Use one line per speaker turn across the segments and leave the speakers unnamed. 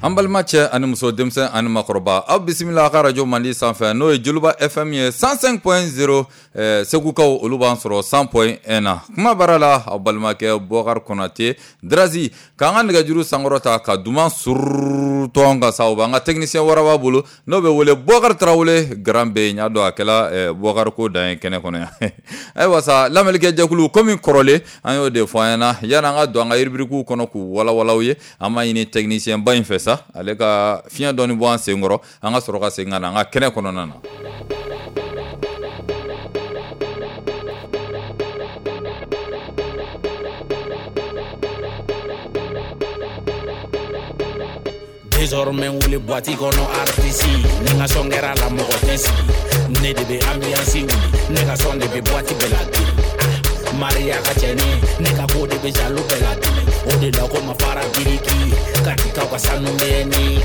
An balima cɛ ani muso, denmisɛn ani makɔrɔba, aw bisimila a ka radio mandi sanfɛ, n'o ye Joliba FM ye 105.0. Segukaw, olu b'an sɔrɔ 100.1 na. Kuma baara la, aw balimakɛ Bɔkari Konate Drazi. K'an ka nɛgɛjuru sankɔrɔta ka duman surutɔ ka sa, o b'an ka technicien waraba bolo, n'o bɛ wele Bɔkari Tarawele Grand B. N y'a dɔn a kɛla Bɔkari ko dan ye kɛnɛ kɔnɔ yan. Ayiwa sa, lamɛnnikɛ jɛkulu, komi kɔrɔlen an y'o de fɔ an ɲɛna, yanni an ka don an ka rubrique kɔnɔ k'u walawala ye, an b'a ɲini technicien ba in fɛ sa, ale ka fiɲɛ dɔɔni bɔ an sen kɔrɔ, an ka sɔrɔ ka segin ka na an ka kɛnɛ kɔnɔna na.
Désormais wuli boîte kɔnɔ, artiste ni n ka son kɛra la, mɔgɔ tɛ sigi. Ne de bɛ ambiance wuli, ne ka son de bɛ boîte bɛɛ la dimi. Maria ka cɛni, ne ka ko de bɛ jaloux bɛɛ la dimi. O de la ko ma fara biriki katikaw ka sanu bɛ ni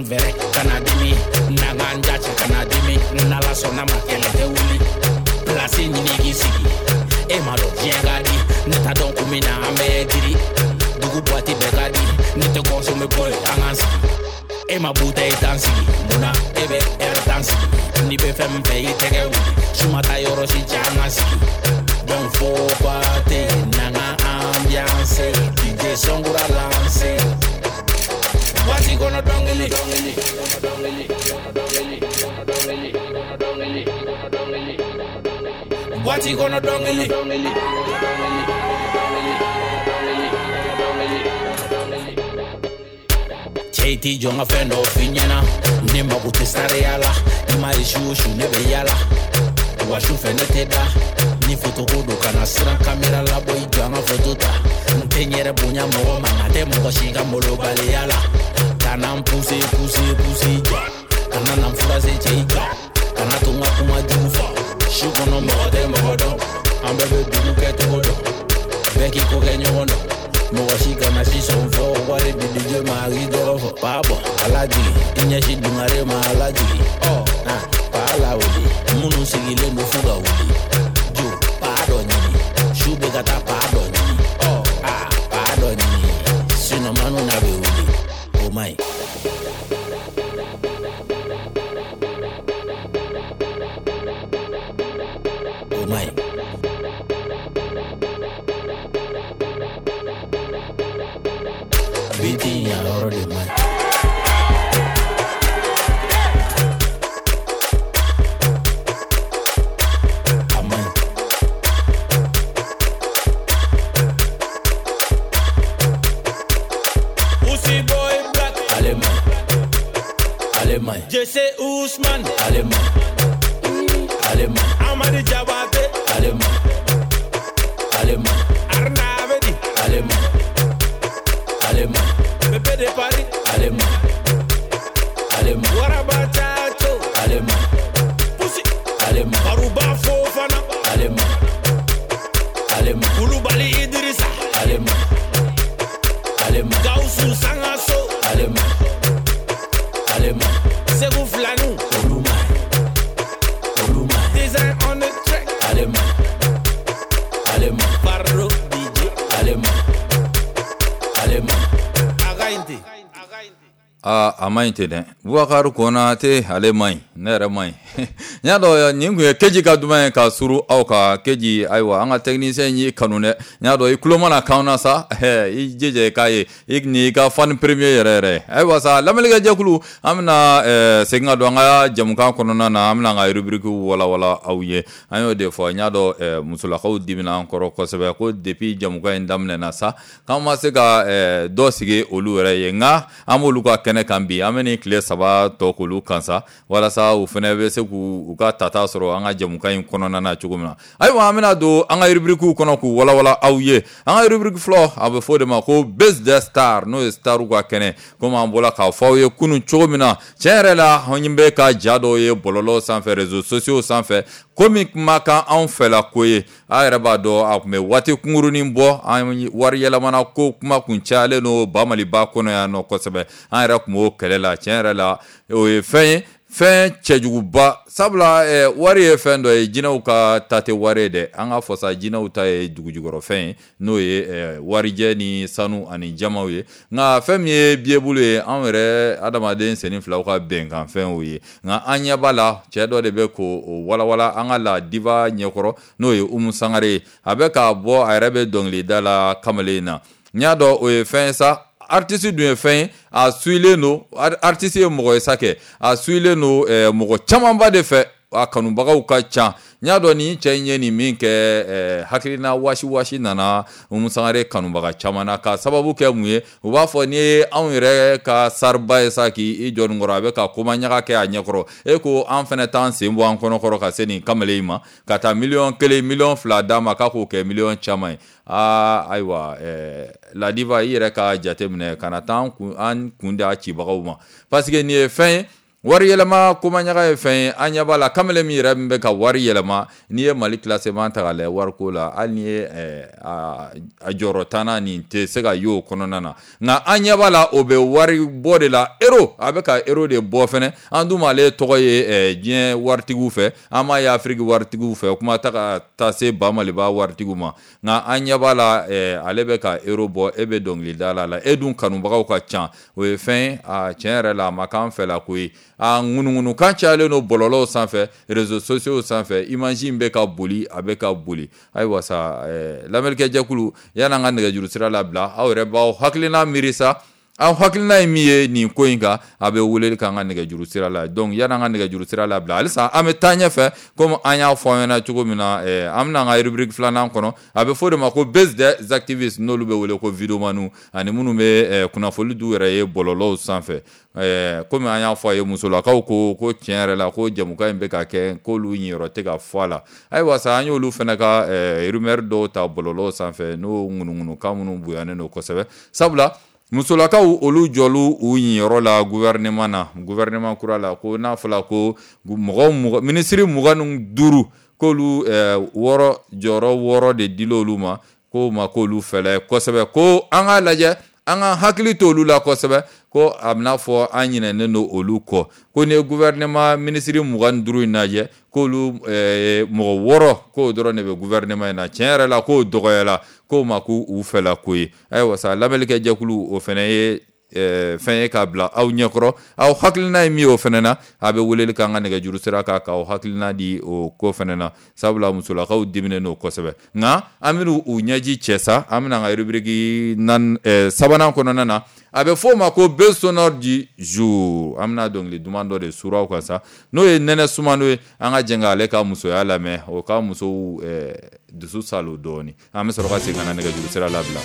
vrai kana dimi, n'an k'an ja cɛ kana dimi. N'Ala sɔnna ma, kɛlɛ tɛ wuli. Place ɲini k'i sigi, e ma dɔn diɲɛ ka di. Ne t'a dɔn kun min na an bɛɛ diri dugu, boîte bɛɛ ka di. Ne tɛ consommer boy, an k'an sigi. E ma bouteille tan sigi, munna e bɛ heure tan sigi? N'i bɛ fɛn min fɛ, i tɛgɛ wuli. Suma taa yɔrɔ si cɛ, an ka sigi. Donc faut pas tɛ n'an ka ambiance. DJ son kura lancé, waati kɔnɔ dɔnkili dɔnkili dɔnkili dɔnkili dɔnkili dɔnkili dɔnkili, waati kɔnɔ dɔnkili dɔnkili dɔnkili dɔnkili dɔnkili dɔnkili. Cɛ, i t'i jɔ n ka fɛn dɔ f'i ɲɛna. Ne mago tɛ sariya la. I ma ye, su o su ne bɛ yala wa, su fɛ ne tɛ da. Ni foto ko don, kana siran kamera labɔ, i jɔ an ka foto ta. N tɛ n yɛrɛ bonya mɔgɔ ma, nka tɛ mɔgɔ si ka molobaliya la. Kana n pousse pousse pousse, i jɔ. Kana na n furase, cɛ, i jɔ. Kana to n ka kuma jugu fɔ. Su kɔnɔ mɔgɔ tɛ mɔgɔ dɔn, an bɛɛ bɛ dugu kɛ cogo dɔn. Bɛɛ k'i ko kɛ ɲɔgɔn dɔn, mɔgɔ si kana si sɔn fɔ. Wari di DJ ma, a k'i tɔgɔ fɔ. Paa bɔ ala jigi, i ɲɛsin dungare ma, ala jigi. Ɔ paa la wuli, minnu sigilen don f'u ka wuli. Jo paa dɔ ɲini, su bɛ ka taa paa dɔ ɲini. Ɔ paa dɔ ɲini, sinon manu na bɛ wuli, o man ɲi. O man ɲi. Biti yan yɔrɔ de man ɲi. A man ɲi.
Usi Boy Black,
Ale man ɲi. Ale man ɲi.
Jesse Ousmane,
Ale man ɲi. Ale man ɲi.
Amadi Jabate,
Ale man ɲi. Ale man ɲi.
Arna Abedi,
Ale man ɲi. Ale man ɲi.
Bébé de Paris,
Ale man ɲi. Ale man ɲi.
Waraba Chacho,
Ale man ɲi.
Pussy,
Ale man ɲi.
Baruba Fofana,
Ale man ɲi. Ale man ɲi.
Koulibaly Idrissa,
Ale man ɲi. Ale man ɲi.
Gaussou Sangaso,
Ale man ɲi. Ale man ɲi.
Segou Flanou,
Olu man ɲi. Olu man ɲi.
Design on the track,
Ale man ɲi. Ale man ɲi.
Barro DJ,
Ale man ɲi. Ale man ɲi.
Againte.
Aa, a ma ɲi ten dɛ. Bubakari Konate, ale ma ɲi, ne yɛrɛ ma ɲi. N y'a dɔn nin kun ye keji ka duman ye ka suru aw ka keji. Ayiwa, an ka technicien y'i kanu dɛ. N y'a dɔn i tulo mana kan na sa, i jija i k'a ye, i ni i ka fan premier yɛrɛ yɛrɛ. Ayiwa sa, lamɛnnikɛ jɛkulu, an bɛna segin ka don an ka jɛmukan kɔnɔna na. An bɛna an ka rubrique walawala aw ye. An y'o de fɔ, n y'a dɔn musolakaw dimina an kɔrɔ kosɛbɛ ko depuis jɛmukan in daminɛna sa, k'an ma se ka dɔ sigi olu yɛrɛ ye. Nka an b'olu ka kɛnɛ kan bi, an bɛ nin tile 3 tɔ k'olu kan sa, walasa u fana bɛ se k'u ka tata sɔrɔ an ka jɛmukan in kɔnɔna na cogo min na. Ayiwa, an bɛna don an ka rubrique kɔnɔ k'u walawala aw ye. An ka rubrique fɔlɔ, a bɛ fɔ o de ma ko Buzz des Stars, n'o ye starw ka kɛnɛ. Komi an bɔra k'a fɔ aw ye kunun cogo min na, tiɲɛ yɛrɛ la, an bɛ ka ja dɔw ye bɔlɔlɔ sanfɛ, réseaux sociaux sanfɛ, komi kumakan anw fɛla ko ye. A yɛrɛ b'a dɔn a tun bɛ waati kunkurunin bɔ, an wari yɛlɛmana ko kuma kun cayalen don Bamaliba kɔnɔ yan nɔ kosɛbɛ. An yɛrɛ tun b'o kɛlɛ la. Tiɲɛ yɛrɛ la, o ye fɛn ye. Fɛn cɛjuguba, sabula wari ye fɛn dɔ ye, jinɛw ka ta tɛ wari ye dɛ. An ka fɔsa jinɛw ta ye dugujukɔrɔfɛn ye, n'o ye warijɛ ni sanu ani jamaw ye. Nka fɛn min ye biyebulu ye, anw yɛrɛ adamaden senni filaw ka bɛnkanfɛn ye. Nka an ɲɛ b'a la, cɛ dɔ de bɛ k'o walawala an ka la diva ɲɛkɔrɔ, n'o ye Umu Sangare ye. A bɛ k'a bɔ, a yɛrɛ bɛ dɔnkilida la kamalen in na. N y'a dɔn o ye fɛn ye sa. Artiste dun ye fɛn ye, a suilen don. Artiste ye mɔgɔ ye sa kɛ, a suilen don mɔgɔ camanba de fɛ, a kanubagaw ka ca. N y'a dɔn nin cɛ in ye nin min kɛ, hakilina wasi wasi nana Umu Sangare kanubaga caman na, ka sababu kɛ mun ye? U b'a fɔ n'i ye anw yɛrɛ ka sariba ye sa k'i jɔ nin kɔrɔ, a bɛ ka komaɲaga kɛ a ɲɛkɔrɔ, e ko an fana t'an sen bɔ an kɔnɔkɔrɔ ka se nin kamalen in ma, ka taa 1 miliyɔn, 2 miliyɔn d'a ma, k'a k'o kɛ miliyɔn caman ye. Aa ayiwa, la diva, i yɛrɛ ka jate minɛ, kana taa an kun da cibagaw ma, parce que nin ye fɛn ye, wari yɛlɛma komaɲaga ye fɛn ye. An ɲɛ b'a la, kamalen min yɛrɛ min bɛ ka wari yɛlɛma, n'i ye Mali classement ta k'a lajɛ wariko la, hali n'i ye a jɔyɔrɔ tannan nin tɛ se ka ye o kɔnɔna na. Nka an ɲɛ b'a la, o bɛ wari bɔ de la, euro, a bɛ ka euro de bɔ fɛnɛ. An dun m'ale tɔgɔ ye diɲɛ waritigiw fɛ, an m'a ye Afiriki waritigiw fɛ, kuma ta ka taa se ba Maliba waritigiw ma. Nka an ɲɛ b'a la, ale bɛ ka euro bɔ, e bɛ dɔnkilida la, e dun kanubagaw ka ca. O ye fɛn ye, a tiɲɛ yɛrɛ la, a ma k'an fɛ la ko ye. A ŋunuŋunukan cayalen don bɔlɔlɔw sanfɛ, réseaux sociaux sanfɛ, image in bɛ ka boli, a bɛ ka boli. Ayiwa sa, lamɛnnikɛ jɛkulu, yan'an ka nɛgɛjuru sira labila, aw yɛrɛ b'aw hakilina miiri sa. Aw hakilina ye min ye nin ko in kan, a bɛ weleli k'an ka nɛgɛjuru sira la. Donc yan'an ka nɛgɛjuru sira labila, halisa an bɛ taa ɲɛfɛ, komi an y'a fɔ aw ɲɛna cogo min na, an bɛna an ka rubrique filanan kɔnɔ. A bɛ fɔ o de ma ko buzz des activistes, n'olu bɛ wele ko videomaniw, ani minnu bɛ kunnafoni d'u yɛrɛ ye bɔlɔlɔw sanfɛ. Komi an y'a fɔ a ye, musolakaw ko ko tiɲɛ yɛrɛ la, ko jamukan in bɛ ka kɛ, k'olu ɲiyɔrɔ tɛ ka fɔ a la. Ayiwa sa, an y'olu fana ka rumeur dɔw ta bɔlɔlɔw sanfɛ, n'o ŋunuŋunukan minnu bonyanen don kosɛbɛ, sabula musolakaw olu jɔlu u ɲiyɔrɔ la gouvernement na, gouvernement kura la, ko n'a fɔra ko mɔgɔ minisiri 25, k'olu wɔɔrɔ, jɔyɔrɔ wɔɔrɔ de dil'olu ma, k'o ma k'olu fɛlɛ kosɛbɛ, ko an k'a lajɛ, an ka hakili to olu la kosɛbɛ, ko a bɛna fɔ an ɲinɛnen don olu kɔ, ko ni ye gouvernement minisiri 25 in lajɛ, k'olu mɔgɔ wɔɔrɔ, k'o dɔrɔn de bɛ gouvernement in na. Tiɲɛ yɛrɛ la, k'o dɔgɔyala, k'o ma k'u fɛla ko ye. Ayiwa sa, lamɛnnikɛ jɛkulu, o fana ye fɛn ye k'a bila aw ɲɛkɔrɔ. Aw hakilina ye min ye o fana na, a bɛ weleli k'an ka nɛgɛjuru sira kan k'aw hakilina di o ko fana na, sabula musolakaw diminen don kosɛbɛ. Nka an bɛna u ɲɛji cɛ sa, an bɛna an ka rubrique sabanan kɔnɔna na, a bɛ fɔ o ma ko buzz sonore du jour. An bɛna dɔnkili duman dɔ de suru aw kan sa, n'o ye Nɛnɛ Sumano ye. An ka jɛn k'ale ka musoya lamɛn, o ka musow dusu salo dɔɔni. An bɛ sɔrɔ ka segin ka na nɛgɛjuru sira labila.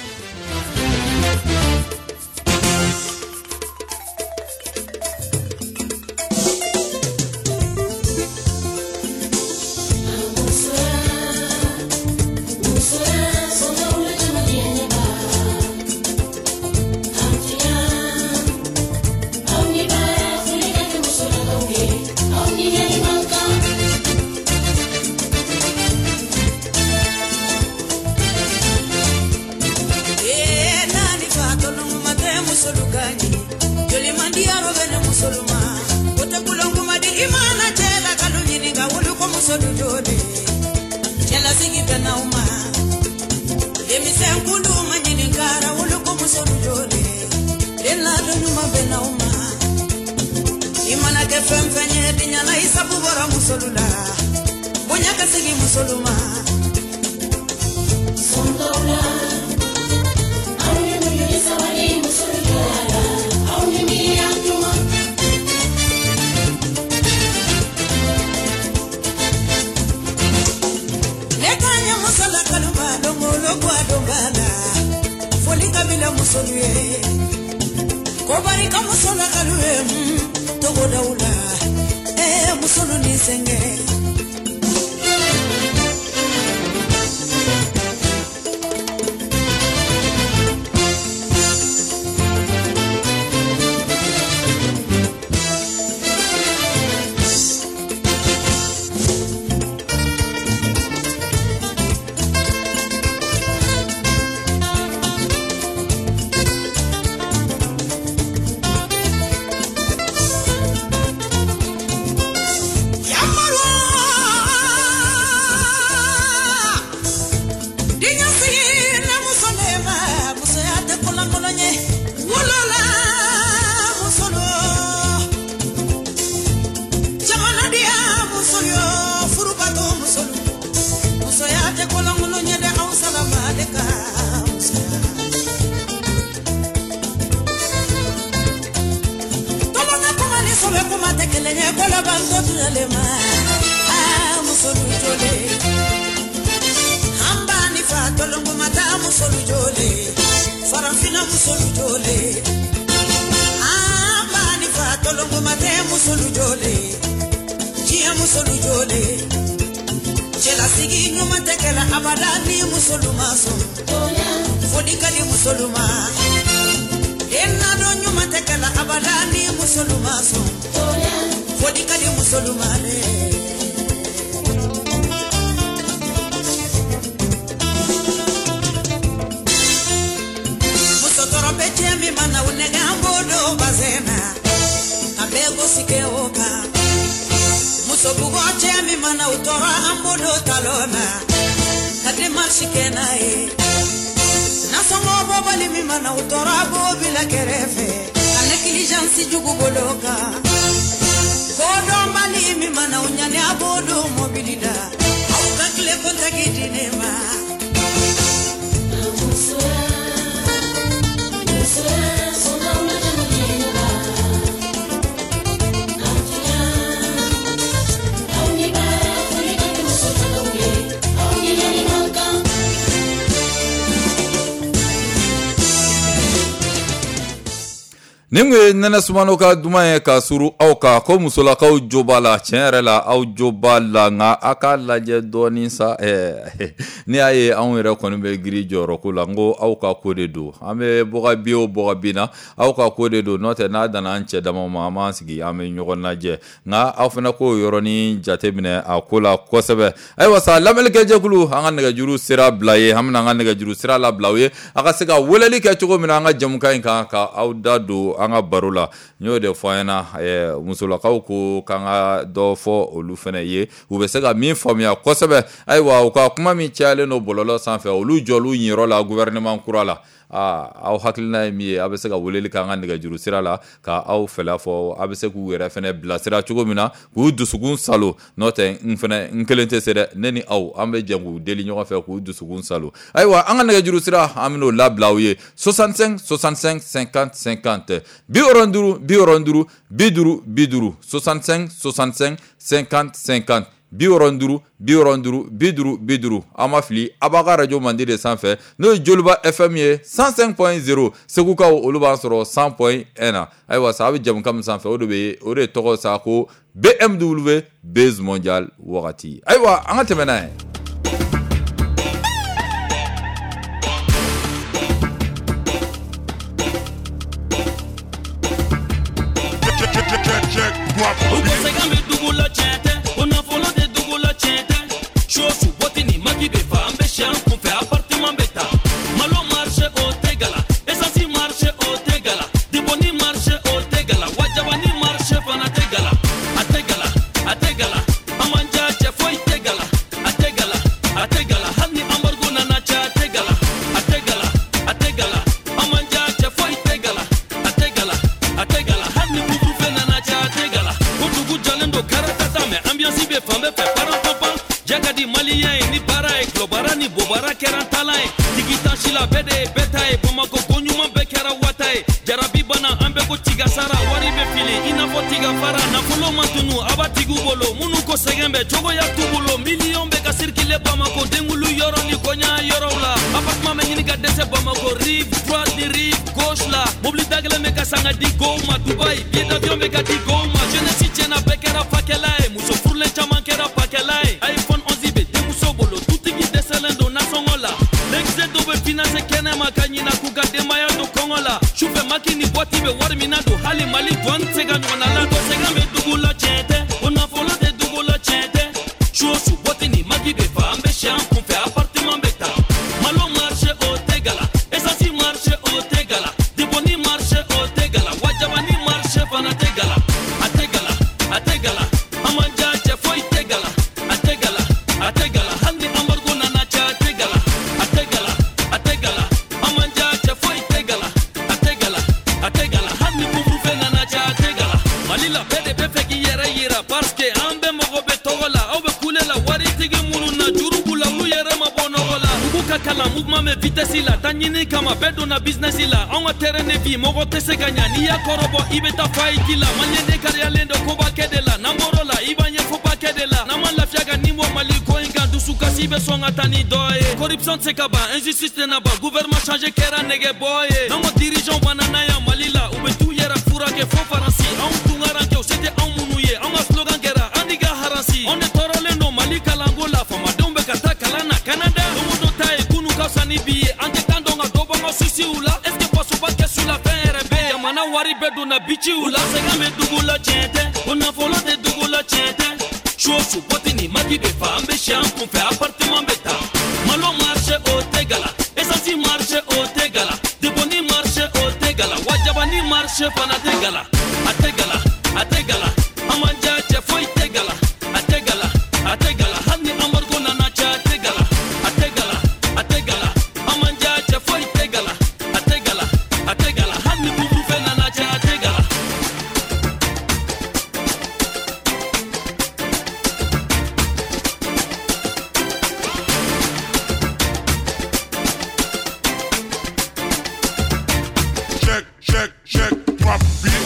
le ma a musolu jole an ba ni fa tolongo mata musolu jole farafina musolu jole an ba ni fa tolongo mata musolu jole diɲɛ musolu jole cɛlasigi ɲuman tɛ kɛla abada ni musolu ma sɔn foli ka di musolu ma den nadon ɲuman tɛ kɛla abada ni musolu ma sɔn foli ka di musolu ma dɛ. Muso tɔɔrɔ bɛ cɛ min mana o nɛgɛ an b'o don bazɛn na a bɛɛ gosi kɛ o kan. Muso bugɔ cɛ min mana o tɔɔrɔ an b'o don talon na ka démarche kɛ n'a ye. Nasɔngɔ bɔbali min mana o tɔɔrɔ a b'o bila kɛrɛfɛ ka négligence jugu bolo kan. Kodɔnbali min mana o ɲani a b'o don mobili la aw ka tile kɔntaki di ne ma.
Nin kun ye Nɛnɛ Sumano ka duman ye ka suru aw kan ko musolakaw jo b'a la tiɲɛ yɛrɛ la aw jo b'a la nka a k'a lajɛ dɔɔnin sa n'i y'a ye anw yɛrɛ kɔni bɛ girin jɔyɔrɔ ko la n ko aw ka ko de don an bɛ bɔgɔ bi o bɔgɔ bin na aw ka ko de don n'o tɛ n'a danna an cɛ dama ma an b'an sigi an bɛ ɲɔgɔn lajɛ nka aw fana k'o yɔrɔnin jateminɛ a ko la kosɛbɛ. Ayiwa sa lamɛnnikɛjɛkulu an ka nɛgɛjuru sira bila ye an bɛna an ka nɛgɛjuru sira labila aw ye a ka se ka weleli kɛ cogo min na an ka jɛmukan in kan ka aw da don an ka baro la. N y'o de fɔ an ɲɛna musolakaw ko k'an ka dɔ fɔ olu fana ye u bɛ se ka min faamuya kosɛbɛ. Ayiwa u ka kuma min cayalen don bɔlɔlɔ sanfɛ olu jɔl'u ɲiyɔrɔ la gouvernement kura la. Aw hakilina ye min ye a bɛ se ka weleli kɛ an ka nɛgɛjuru sira la ka aw fɛla fɔ a bɛ se k'u yɛrɛ fana bilasira cogo min na k'u dusukun salo n'o tɛ n fana n kelen tɛ se dɛ ne ni aw an bɛ jɛ k'u deli ɲɔgɔn fɛ k'u dusukun salo. Ayiwa an ka nɛgɛjuru sira an bɛn'o labila aw ye 65 65 50 50 75 50 50 65 65 50 50 75 50 50. An ma fili a b'a ka radio mandi de sanfɛ n'o ye Joliba FM ye 105.0 Segukaw olu b'an sɔrɔ 100.1 na. Ayiwa sa a bɛ jɛmukan min sanfɛ o de bɛ o de tɔgɔ sa ko BMW Buzz Mondial wagati. Ayiwa an ka tɛmɛ n'a ye.
Mɔgɔ tɛ se ka ɲa n'i y'a kɔrɔbɔ i bɛ taa fa i ji la maliyɛn kariyalen don koba kɛ de la n'an bɔr'o la i b'an ye An ma lafiya ka nin bɔ Mali ko in kan. Dusukasi bɛ sɔn ka taa ni dɔ ye. Corruption tɛ se ka ban, injustice tɛna ban. Gouvernement changé kɛra nɛgɛbɔ ye. N'anw ka dirigeants banna n'a yan Mali la, u bɛ t'u yɛrɛ furakɛ fo Faransi. Anw tunkarankew se tɛ anw minnu ye. Anw ka slogan kɛra an ka haransi. Anw de tɔɔrɔlen don Mali kalanko la. Faamadenw bɛ ka taa kalan na Canada. Don o don ta ye kunun ka fisa ni bi ye. An tɛ kan dɔn ka dɔ bɔ an ka souciw la. Est ce que fasoba kɛsu la fɛn yɛrɛ bɛ yen? Jamana wari bɛɛ donna biciw la. Sɛgɛn bɛ dugu la tiɲɛ tɛ. Ko nafolo tɛ dugu la tiɲɛ tɛ. Su o su bɔti ni maki bɛ fa. An bɛ si an kunfɛ appartement bɛ ta. Malo marché o tɛ gala. Essence marché o tɛ gala. Deboni marché o tɛ gala. Wajabani marché fana tɛ gala. A tɛ gala, a tɛ gala. An man diya cɛ foyi tɛ gala. A tɛ gala, a tɛ gala. Hali ni embargo nana cɛ a tɛ gala. A tɛ gala, a tɛ gala. An man diya cɛ foyi tɛ gala. A tɛ gala, a tɛ gala. Hali ni couvre-feu nana cɛ a tɛ gala.
Check, check, check, drop beat.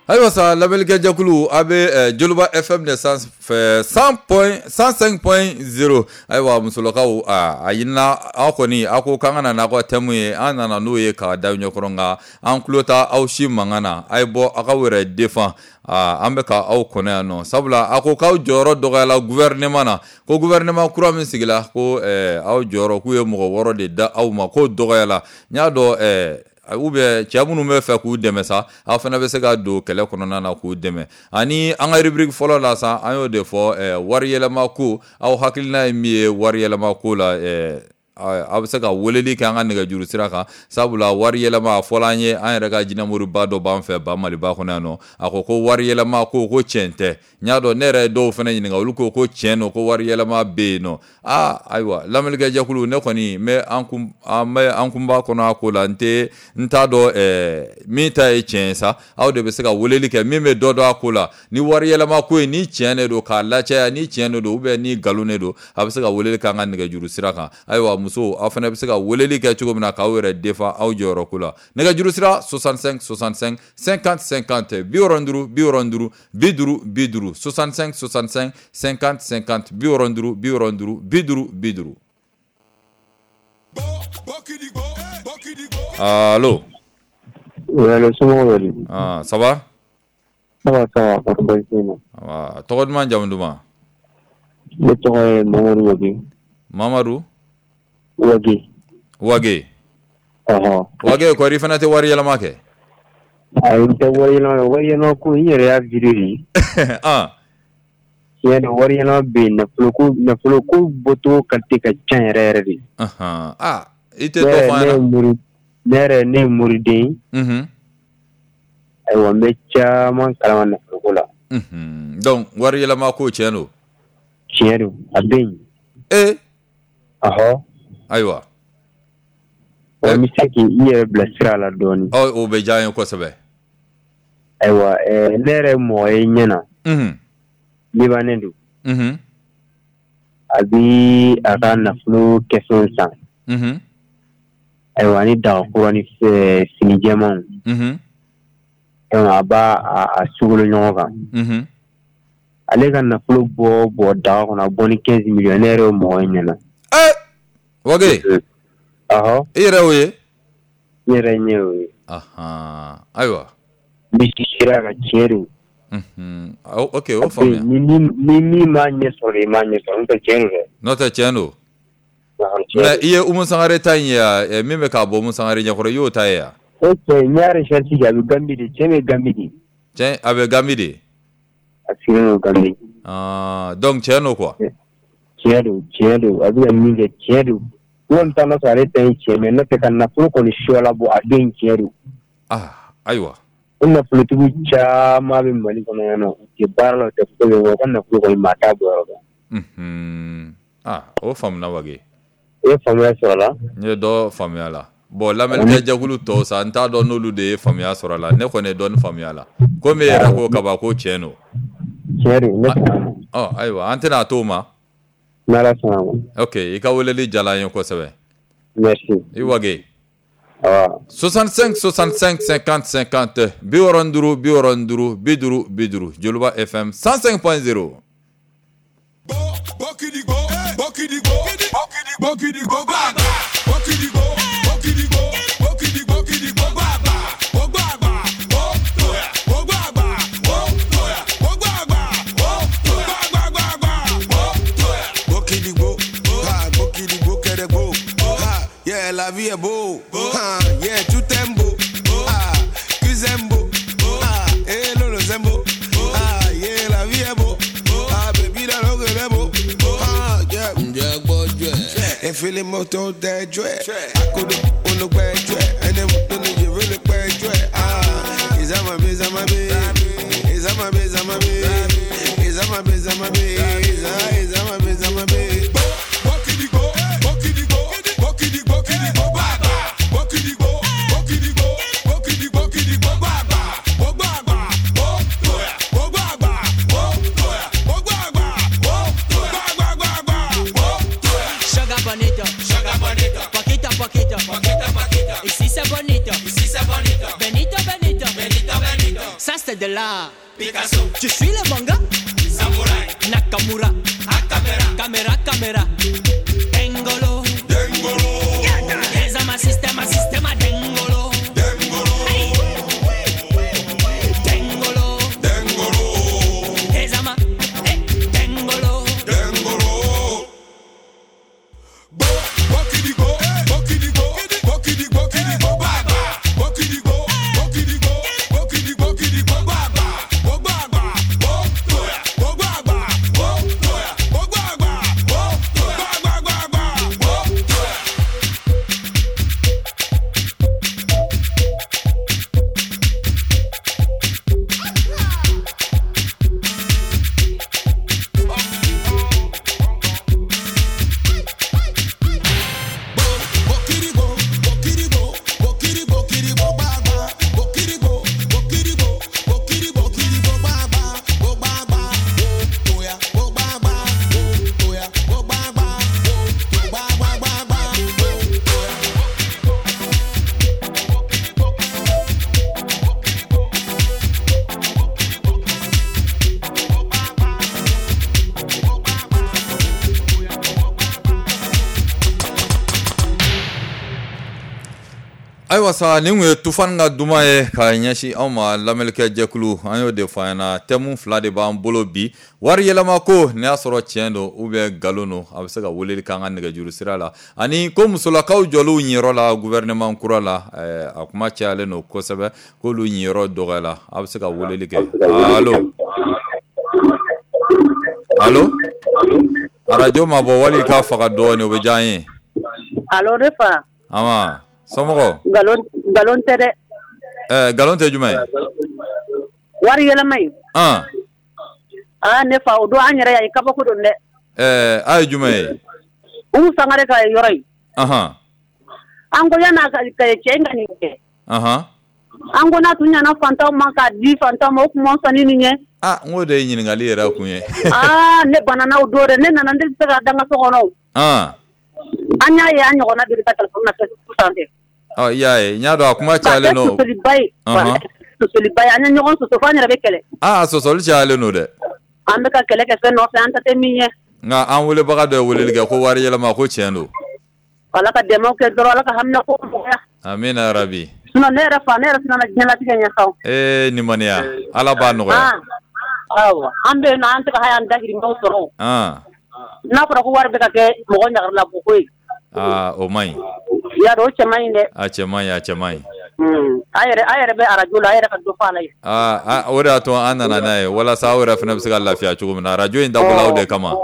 Ayiwa sa lamɛnnikɛjɛkulu a bɛ Joliba FM de sanfɛ 105.0. Ayiwa musolakaw a ɲinina aw kɔni aw ko k'an ka na n'aw ka thème ye, an nana n'o ye k'a da ɲɛkɔrɔ, nka an tulo t'a aw si mankan na. A ye bɔ aw k'aw yɛrɛ défend. An bɛ ka aw kɔnɔ yan nɔ, sabula a ko k'aw jɔyɔrɔ dɔgɔyala gouvernement na, ko gouvernement kura min sigila ko aw jɔyɔrɔ k'u ye mɔgɔ 6 de da aw ma, k'o dɔgɔyala. N y'a dɔn ou bien cɛ minnu bɛ fɛ k'u dɛmɛ sa, aw fana bɛ se ka don kɛlɛ kɔnɔna na k'u dɛmɛ. Ani an ka rubrique fɔlɔ la sa, an y'o de fɔ, wari yɛlɛma ko, aw hakilina ye min ye wari yɛlɛma ko la, aw bɛ se ka weleli kɛ an ka nɛgɛjuru sira kan, sabula wari yɛlɛma a fɔla an ye, an yɛrɛ ka jinɛmoriba dɔ b'an fɛ ba Maliba kɔnɔ yan nɔ, a ko ko wari yɛlɛma ko ko tiɲɛ tɛ. N y'a dɔn ne yɛrɛ ye dɔw fana ɲininka, olu ko ko tiɲɛ don, ko wari yɛlɛma bɛ yen nɔ. Ayiwa lamɛnnikɛjɛkulu, ne kɔni n bɛ an kunba kɔnɔ a ko la, n t'a dɔn min ta ye tiɲɛ ye sa. Aw de bɛ se ka weleli kɛ min bɛ dɔ dɔn a ko la, ni wari yɛlɛma ko in ni tiɲɛ de don k'a lacaya, ni tiɲɛ de don ou bien ni nkalon de don, a bɛ se ka weleli kɛ an ka nɛgɛjuru sira kan. Ayiwa musow, aw fana bɛ se ka weleli kɛ cogo min na k'aw yɛrɛ défend aw jɔyɔrɔ ko la. Nɛgɛjuru sira 65 65 50 50, 65 65 50 50, 65 65 50 50, 65 65 50 50. Allo.
Oui, allo, somɔgɔw bɛ di?
Ça va?
Ça va, ça va, kɔri baasi tɛ yen nɔ.
Tɔgɔ duman, jamu duman?
Ne tɔgɔ ye Mamadu Wage.
Mamadu?
Wage.
Wage.
Ɔhɔ.
Wage, kɔri i fana tɛ wari yɛlɛma kɛ?
Ayi, n tɛ wari yɛlɛma kɛ. Wari yɛlɛma ko n yɛrɛ y'a vidéo de. Tiɲɛ don, wari yɛlɛma bɛ yen, nafolo ko bɔcogo qualité ka ca yɛrɛ yɛrɛ de.
I tɛ dɔ fɔ an ɲɛna?
Ne yɛrɛ ne ye moriden ye. Ayiwa n bɛ caman kalama nafolo ko la.
Donc wari yɛlɛma ko tiɲɛ don?
Tiɲɛ don, a bɛ yen. Ɔhɔ.
Ayiwa.
N bɛ se k'i yɛrɛ bila sira la dɔɔnin.
O bɛ diya n ye kosɛbɛ.
Ayiwa ne yɛrɛ ye mɔgɔ ye ɲɛ na. Libanais don. A bi a ka nafolo kɛfɛnw san. Ayiwa ni daga kura ni fini jɛmanw. A b'a a sugolo ɲɔgɔn kan. Ale ka nafolo bɔ daga kɔnɔ, a bɔ ni 15 millions, ne yɛrɛ ye mɔgɔ ye ɲɛ na.
Wage.
Ɔhɔ.
I yɛrɛ y'o ye?
N yɛrɛ ɲɛ y'o ye.
Ayiwa.
N bɛ sira ka tiɲɛ don.
Ok, o faamuya.
Ni min m'a ɲɛ sɔrɔ, i m'a ɲɛ sɔrɔ, n'o tɛ tiɲɛ don dɛ.
N'o tɛ tiɲɛ don. Mais i ye Umu Sangare ta in ye wa? Min bɛ k'a bɔ Umu Sangare ɲɛkɔrɔ, i y'o ta ye wa?
O cɛ, n y'a recherche kɛ, a bɛ Gambie de, cɛ bɛ Gambie de.
Cɛ a bɛ Gambie de?
A sigilen don Gambie.
Donc tiɲɛ don quoi?
Tiɲɛ don, tiɲɛ don, a bɛ ka min kɛ tiɲɛ don. N kɔni t'a sɔrɔ ale ta ye tiɲɛ, mais n'o tɛ ka nafolo kɔni suwala bɔ, a den tiɲɛ don.
Ayiwa.
O nafolotigiw caman bɛ Mali kɔnɔ yan nɔ, u tɛ baara la, u tɛ foyi kɛ, u ka nafolo kɔni maa t'a bɔ yɔrɔ dɔn.
O faamuna Wage.
I ye faamuya sɔrɔ a la?
N ye dɔ faamuya la. Bon lamɛnnikɛjɛkulu tɔw sa, n t'a dɔn n'olu de ye faamuya sɔrɔ a la, ne kɔni ye dɔɔni faamuya la. Komi e yɛrɛ ko kaban ko tiɲɛ don.
Tiɲɛ don, ne sɔnna a ma.
Ɔ ayiwa, an tɛna t'o ma.
N'Ala sɔnna a ma.
Ok, i ka weleli diyara an ye kosɛbɛ.
Merci.
I wage.
Awa.
65 65 50 50, 65 65 50 50, Joliba FM 105.0.
Yeah, la vie est beau. Ah, yeah, tout est beau. Ah, Kuzembo. Ah, eh, lolo zembo. Ah, yeah, la vie est beau. Ah, baby, la longue est beau. Ah, yeah, yeah, boy, yeah. Et fais les motos des jouets. À côté, on nous perd, ouais. Et les motos, nous veux le perdre, ouais. Ah, ils aiment ma bise, ma bise. Ils aiment ma bise, ma bise. Ils aiment ma bise, ma bise. Ils aiment ma bise, ma bise.
Ça c'est de l'art. Picasso. Tu suis le manga? Samouraï. Nakamura. A caméra. Caméra, caméra. Dengolo. Dengolo. Ezama systema, systema dengolo. Dengolo. Hey. Dengolo. Dengolo. Ezama. Hey. Dengolo.
Dengolo. Bo, bokidigo, bokidigo, bokidigo, bokidigo, baba. Bokidigo, bokidigo, bokidigo, bokidigo, baba. Baba, bo, toya, bo, baba, bo, toya, bo, baba, bo, toya, baba, baba, bo, toya.
Ayiwa sa, nin kun ye Tufan ka duman ye ka ɲɛsin anw ma lamɛnlikɛ jɛkulu. An y'o de fɔ an ɲɛna, thème fila de b'an bolo bi: wari yɛlɛma ko, n'i y'a sɔrɔ tiɲɛ don ou bien nkalon don, a bɛ se ka weleli k'an ka nɛgɛjuru sira la, ani ko musolakaw jɔliw ɲiyɔrɔ la gouvernement kura la, a kuma cayalen don kosɛbɛ k'olu ɲiyɔrɔ dɔgɔyala. A bɛ se ka weleli kɛ. Allo, allo, arajo ma bɔ wali k'a faga dɔɔnin, o bɛ diya an ye.
Allo, ne fa.
Ama somɔgɔw?
Nkalon tɛ dɛ.
Nkalon tɛ jumɛn ye?
Wari yɛlɛma in. Aa ne fa, o don an yɛrɛ y'a ye, kabako don dɛ.
A ye jumɛn ye?
Umu Sangare ka yɔrɔ in. An ko yan'a ka cɛ in ka nin kɛ. An ko n'a tun ɲana fantanw ma k'a di fantanw ma, o tun man fisa ni nin ye.
Aa, n k'o de ye ɲininkali yɛrɛ kun ye.
Aa, ne banana o don dɛ, ne nana, ne tɛ se ka da n ka so kɔnɔ o. An y'a ye an ɲɔgɔnna deli ka téléphone na Facebook sanfɛ.
Ɔ, i y'a ye, n y'a dɔn a kuma cayalen don.
Sɔsɔliba ye. Sɔsɔliba ye, an ye ɲɔgɔn sɔsɔ fo an yɛrɛ bɛ kɛlɛ.
Aa, sɔsɔli cayalen don dɛ.
An bɛ ka kɛlɛ kɛ fɛn nɔfɛ, an ta tɛ min ye.
Nka an welebaga dɔ ye weleli kɛ ko wari yɛlɛma ko tiɲɛ don.
Ala ka dɛmɛ kɛ dɔrɔn, Ala ka hamina ko nɔgɔya.
Amina rabi.
Sinon ne yɛrɛ fa, ne yɛrɛ siranna diɲɛlatigɛ ɲɛ sa.
Ee, nimaniya, Ala b'a nɔgɔya.
Awɔ, an bɛ yen nɔ, an tɛ ka hali an dahirimɛw sɔrɔ. N'a fɔra ko wari bɛ ka kɛ mɔgɔ ɲagarila ko ye.
Aa, o man ɲi.
I y'a dɔn, o cɛ man ɲi dɛ.
A cɛ man ɲi, a cɛ man ɲi.
A yɛrɛ bɛ arajo la, a yɛrɛ ka dɔ fɔ a la yen.
Aa, o de y'a to an nana n'a ye walasa aw yɛrɛ fana bɛ se ka lafiya cogo min na. Arajo in dabɔla o de kama.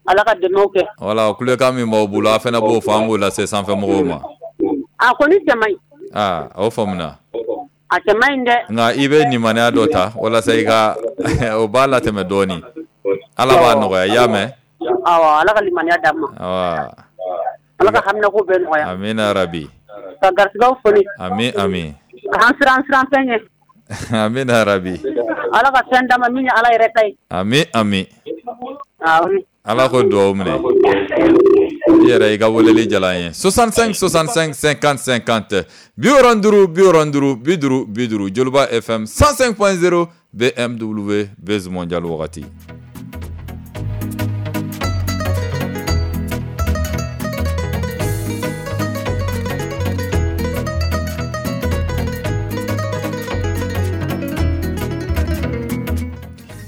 Ala ka dɛmɛw kɛ.
Wala kulekan min b'aw bolo, a fana b'o fɔ, an b'o lase sanfɛ mɔgɔw ma.
A kɔni cɛ man ɲi.
Aa, o faamuna.
A cɛ man ɲi dɛ.
Nka i bɛ nimaniya dɔ ta walasa i ka o b'a latɛmɛ dɔɔnin. Ala b'a nɔgɔya, i y'a mɛn?
Awɔ, Ala ka limaniya d'an ma.
Awɔ.
Ala ka hamina ko bɛɛ nɔgɔya.
Amina rabi.
Ka garisigɛw foni.
Ami ami.
K'an siran siran fɛn ɲɛ.
Amina rabi.
Ala ka fɛn d'a ma min ye Ala yɛrɛ ta ye.
Ami ami. Ala ko duwawu minɛ. I yɛrɛ i ka weleli diyara an ye. 65 65 50 50 65 65 50 50 Joliba FM 105.0 BMW Buzz Mondial wagati.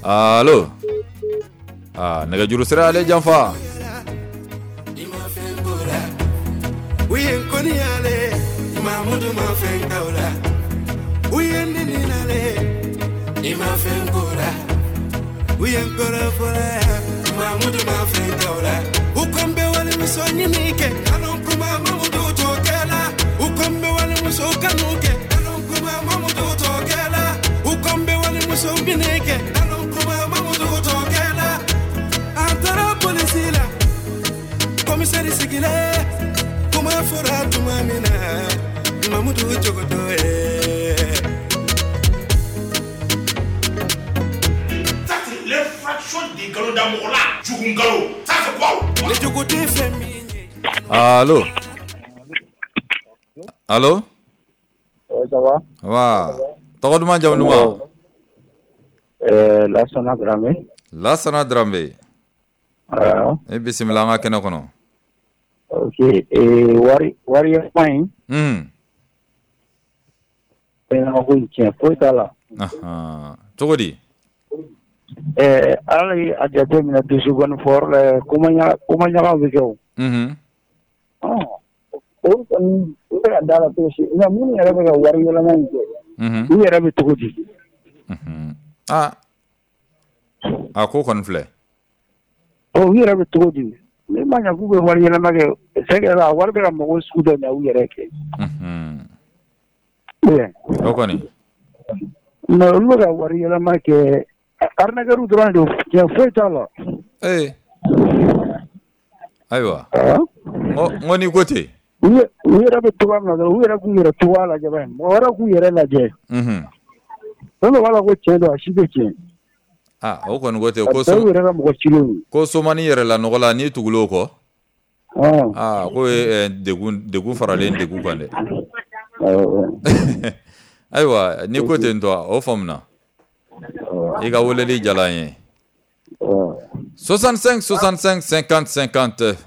Allo. Ah, nɛgɛjuru sira ale janfa.
Commissaire sigilen kuma fɔra tuma min na Mamudu jogo ye.
Ça c'est l'infraction des nkalon da mɔgɔ la jugu nkalon ça c'est quoi?
Ne jogo tɛ fɛn min ye.
Allo. Allo.
Ça va?
Wa. Tɔgɔ duman jamu duman?
Lasana Dramé.
Lasana Dramé.
Awɔ.
E bisimila an ka kɛnɛ kɔnɔ.
Ok, wari yɛlɛma in. Fɛn ko in tiɲɛ foyi t'a la.
Cogo di?
Ala ye a jate minɛ dusukɔni fɔyɔrɔ la kuma ɲagaw bɛ kɛ o. O kɔni u bɛ ka da la cogo si nka minnu yɛrɛ bɛ ka wari yɛlɛma in kɛ. U yɛrɛ bɛ cogo di?
A ko kɔni filɛ.
U yɛrɛ bɛ cogo di? Ni ma ɲɛ k'u bɛ wari yɛlɛma kɛ c'est que a wari bɛ ka mɔgɔw sugu dɔ ɲɛ u yɛrɛ kɛ.
O kɔni.
Mais olu bɛ ka wari yɛlɛma kɛ arnaqueur dɔrɔn de don tiɲɛ foyi t'a la.
Ayiwa. N ko n'i ko ten.
U yɛrɛ bɛ cogoya min na dɔrɔn u yɛrɛ k'u yɛrɛ cogoya lajɛ bani mɔgɔ wɛrɛ k'u yɛrɛ lajɛ. Fɛn dɔ b'a la ko tiɲɛ don a si tɛ tiɲɛ.
O kɔni ko ten ko ko somani yɛrɛ la nɔgɔ la n'i tugul'o kɔ. K'o ye degun faralen degun kan dɛ. Ayiwa n'i ko ten tɔ o faamuna. I ka weleli diyara an ye. 65 65 50 50 65 65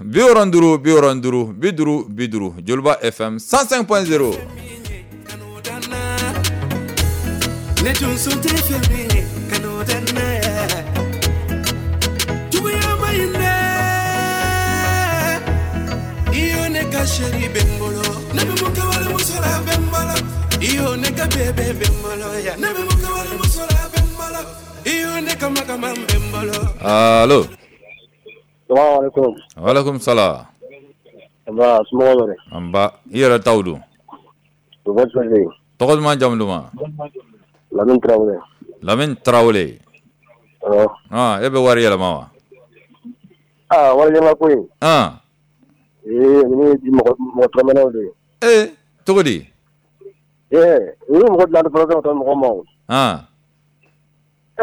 50 50 Joliba FM 105.0.
Ne tun sun tɛ fɛn min ye kanu tɛ ne juguya ma ɲi dɛ i yo ne ka chérie bɛ n bolo ne bɛ mun kɛ walimuso la bɛ n bolo i yo ne ka bébé bɛ n bolo ya ne bɛ mun kɛ walimuso la bɛ n bolo i yo ne ka makama bɛ n bolo.
Allo.
Salaamaaleykum.
Waaleykum salaam.
Nba somɔgɔw bɛ di?
Nba i yɛrɛ taw don? Tɔgɔ duman jamu duman?
Lamine Traoré.
Lamine Traoré.
Awɔ.
E bɛ wari yɛlɛma wa?
Wari yɛlɛma ko in. Ninnu ye mɔgɔ tɔrɔmɛnɛw de ye.
Cogo di?
U ye mɔgɔ dilan fɔlɔ ka taa mɔgɔ ma o. I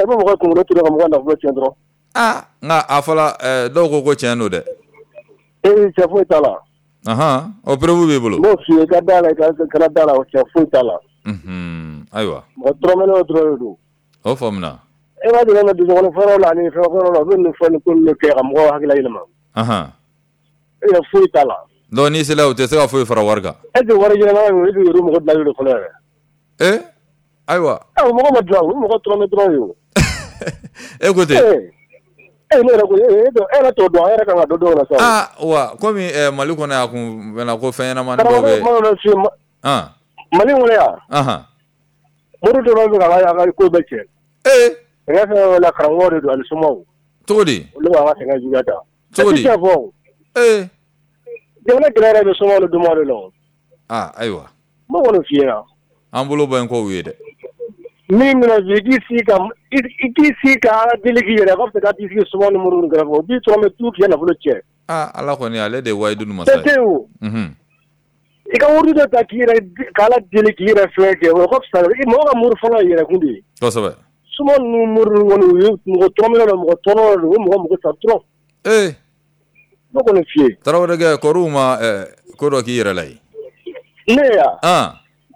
bɛ mɔgɔ kunkolo turu ka mɔgɔ nafolo tiɲɛ dɔrɔn.
Nka a fɔla dɔw ko ko tiɲɛ don dɛ.
Cɛ foyi t'a la.
O preuve b'i bolo.
N b'o f'i ye i ka da la i kana da la o cɛ foyi t'a la.
Ayiwa.
Mɔgɔ tɔrɔmɛnɛw dɔrɔn de don.
O faamuna.
E b'a deli ka dusukɔnɔ fɔlɔ la ani fɛn fɔlɔ la u bɛ nin fɔ nin ko ninnu kɛ ka mɔgɔw hakili yɛlɛma. E yɛrɛ foyi t'a la.
Donc n'i sera u tɛ se ka foyi fara wari kan.
E tɛ wari yɛlɛma ye e bɛ yɛrɛ mɔgɔ dilanlen don fɔlɔ yɛrɛ.
Ayiwa.
Mɔgɔ ma dilan o mɔgɔ tɔrɔmɛ dɔrɔn ye o.
E ko ten.
Ne yɛrɛ ko e yɛrɛ t'o dɔn a yɛrɛ kan ka dɔ dɔn o la sa.
Wa komi Mali kɔnɔ yan a kun mɛnna ko fɛn ɲɛnamanin dɔw bɛ.
Mali kɔnɔ yan. Mori dɔrɔn bɛ ka ka ko bɛɛ tiɲɛ. Sɛgɛn fɛn fɛn la karamɔgɔ de don ani somaw.
Cogo di?
Olu b'an ka sɛgɛn juguya ta.
Cogo di?
Jamana gɛlɛya yɛrɛ bɛ somaw ni dunanw de la o.
Ayiwa.
N b'o kɔni f'i ɲɛna.
An bolo bɔ yen k'o ye dɛ.
Min bɛna i k'i sigi ka Ala deli k'i yɛrɛ a ka fisa ka t'i sigi somaw ni moriw kɛrɛfɛ o b'i tɔrɔ tu k'i nafolo tiɲɛ.
Ala kɔni ale de ye wayidu masa ye.
Fɛn tɛ yen o.
I ka wari dɔ ta k'i yɛrɛ k'Ala deli k'i yɛrɛ fɛn kɛ, o ka fisa. Mɔgɔ ka mori fɔlɔ ye yɛrɛkun de ye.
Kosɛbɛ.
Suma ninnu mori ninnu kɔni, u ye mɔgɔ tɔrɔmɛnɛ don, mɔgɔ tɔɔrɔ don, u ye mɔgɔ mɔgɔ sa trop.
Ee.
Ne kɔni f'i ye.
Tarawelekɛ, kɔriw ma ko dɔ k'i yɛrɛ la yen.
Ne ya.